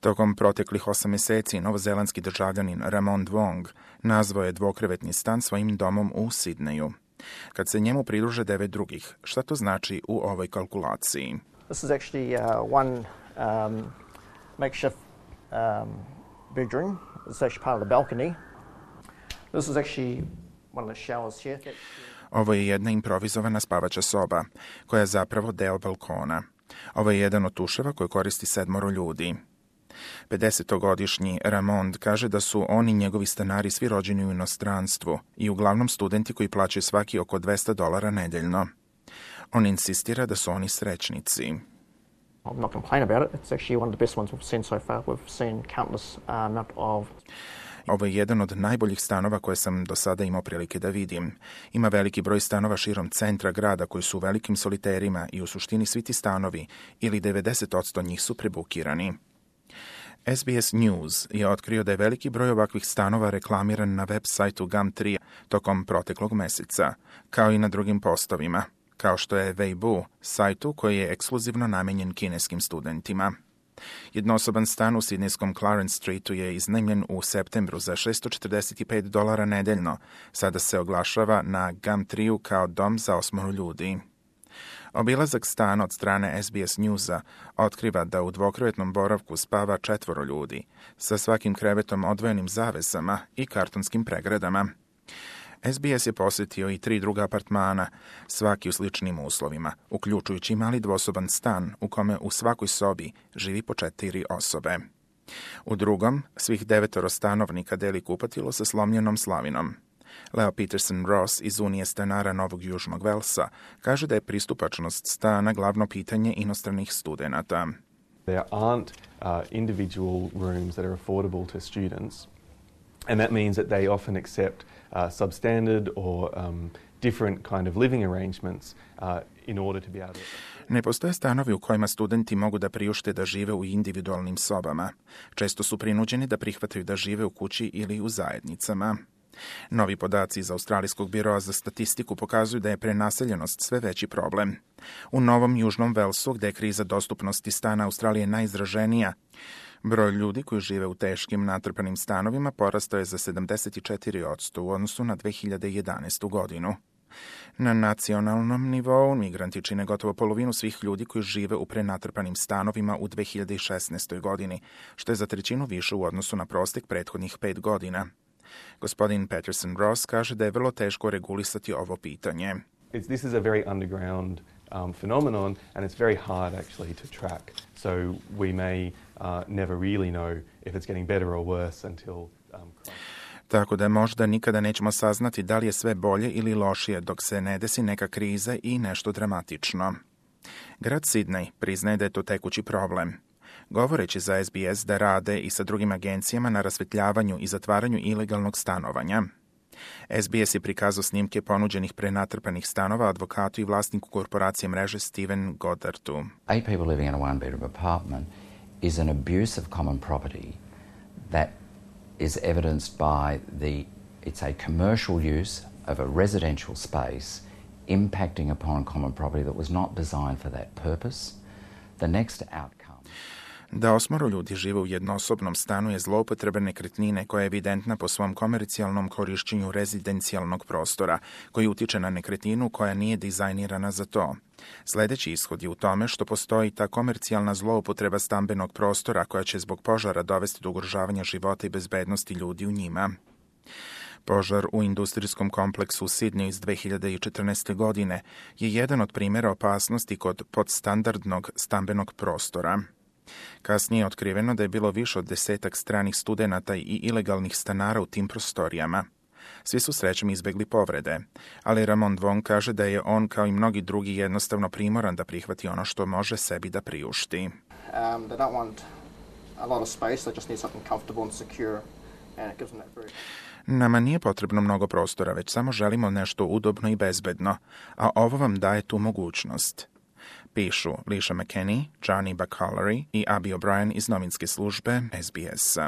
Tokom proteklih 8 mjeseci novozelandski državljanin Ramon Dwong nazvao je dvokrevetni stan svojim domom u Sidneju. Kad se njemu pridruže 9 drugih, šta to znači u ovoj kalkulaciji? This is actually one makeshift bedroom. It's actually part of the balcony. This is actually one of the showers here. Ovo je jedna improvizovana spavača soba, koja je zapravo deo balkona. Ovo je jedan od tuševa koje koristi 7 ljudi. 50-godišnji Ramond kaže da su on i njegovi stanari svi rođeni u inostranstvu i uglavnom studenti koji plaćaju svaki oko $200 nedeljno. On insistira da su oni srećnici. I'm not complaining about it. It's actually one of the best ones we've seen so far. We've seen countless amount of... Ovo je jedan od najboljih stanova koje sam do sada imao prilike da vidim. Ima veliki broj stanova širom centra grada koji su u velikim soliterima i u suštini svi ti stanovi, ili 90% njih su prebukirani. SBS News je otkrio da je veliki broj ovakvih stanova reklamiran na web sajtu Gumtree tokom proteklog meseca, kao i na drugim postovima, kao što je Weibo, sajtu koji je ekskluzivno namenjen kineskim studentima. Jednosoban stan u sidnejskom Clarence Streetu je iznajmljen u septembru za $645 nedeljno. Sada se oglašava na Gumtreeu kao dom za 8 ljudi. Obilazak stana od strane SBS Newsa otkriva da u dvokrevetnom boravku spava 4 ljudi, sa svakim krevetom odvojenim zavesama i kartonskim pregradama. SBS je posjetio i 3 druga apartmana, svaki u sličnim uslovima, uključujući mali dvosoban stan u kome u svakoj sobi živi po 4 osobe. U drugom, svih 9 stanovnika deli kupatilo sa slomljenom slavinom. Leo Peterson Ross iz Unije stanara Novog Južnog Velsa kaže da je pristupačnost stana glavno pitanje inostranih studenata. There aren't individual rooms that are affordable to students, and that means that they often accept substandard or different kind of living arrangements in order to be able to... Ne postoje stanovi u kojima studenti mogu da priušte da žive u individualnim sobama. Često su prinuđeni da prihvataju da žive u kući ili u zajednicama. Novi podaci iz Australijskog biroa za statistiku pokazuju da je prenaseljenost sve veći problem. U Novom Južnom Velsu, gde je kriza dostupnosti stana Australije najizraženija, broj ljudi koji žive u teškim natrpanim stanovima porastao je za 74% u odnosu na 2011. godinu. Na nacionalnom nivou migranti čine gotovo polovinu svih ljudi koji žive u prenatrpanim stanovima u 2016. godini, što je za 1/3 više u odnosu na prostek prethodnih 5 godina. Gospodin Peterson Ross kaže da je vrlo teško regulisati ovo pitanje. This is a very underground phenomenon, and it's very hard actually to track. So we may never really know if it's getting better or worse until... Tako da možda nikada nećemo saznati da li je sve bolje ili lošije dok se ne desi neka kriza i nešto dramatično. Grad Sidney priznaje da je to tekući problem. Govoreći za SBS da rade i sa drugim agencijama na rasvetljavanju i zatvaranju ilegalnog stanovanja. SBS je prikazao snimke ponuđenih prenatrpanih stanova advokatu i vlasniku korporacije mreže Steven Goddardu. 8 people living in a one-bedroom apartment is an abuse of common property that is evidenced by it's a commercial use of a residential space impacting upon common property that was not designed for that purpose. The next outcome... Da 8 ljudi žive u jednosobnom stanu je zloupotreba nekretnine koja je evidentna po svom komercijalnom korišćenju rezidencijalnog prostora, koji utiče na nekretninu koja nije dizajnirana za to. Sljedeći ishod je u tome što postoji ta komercijalna zloupotreba stambenog prostora koja će zbog požara dovesti do ugrožavanja života i bezbednosti ljudi u njima. Požar u industrijskom kompleksu u Sidneju iz 2014. godine je jedan od primjera opasnosti kod podstandardnog stambenog prostora. Kasnije je otkriveno da je bilo više od 10 stranih studenata i ilegalnih stanara u tim prostorijama. Svi su srećom izbegli povrede, ali Ramon Dwong kaže da je on kao i mnogi drugi jednostavno primoran da prihvati ono što može sebi da priušti. They don't want a lot of space, they just need something comfortable and secure, and it gives them that very... Nama nije potrebno mnogo prostora, već samo želimo nešto udobno i bezbedno, a ovo vam daje tu mogućnost. Pišu Lisha McKenney, Johnny Bacalary i Abby O'Brien iz novinske službe SBS.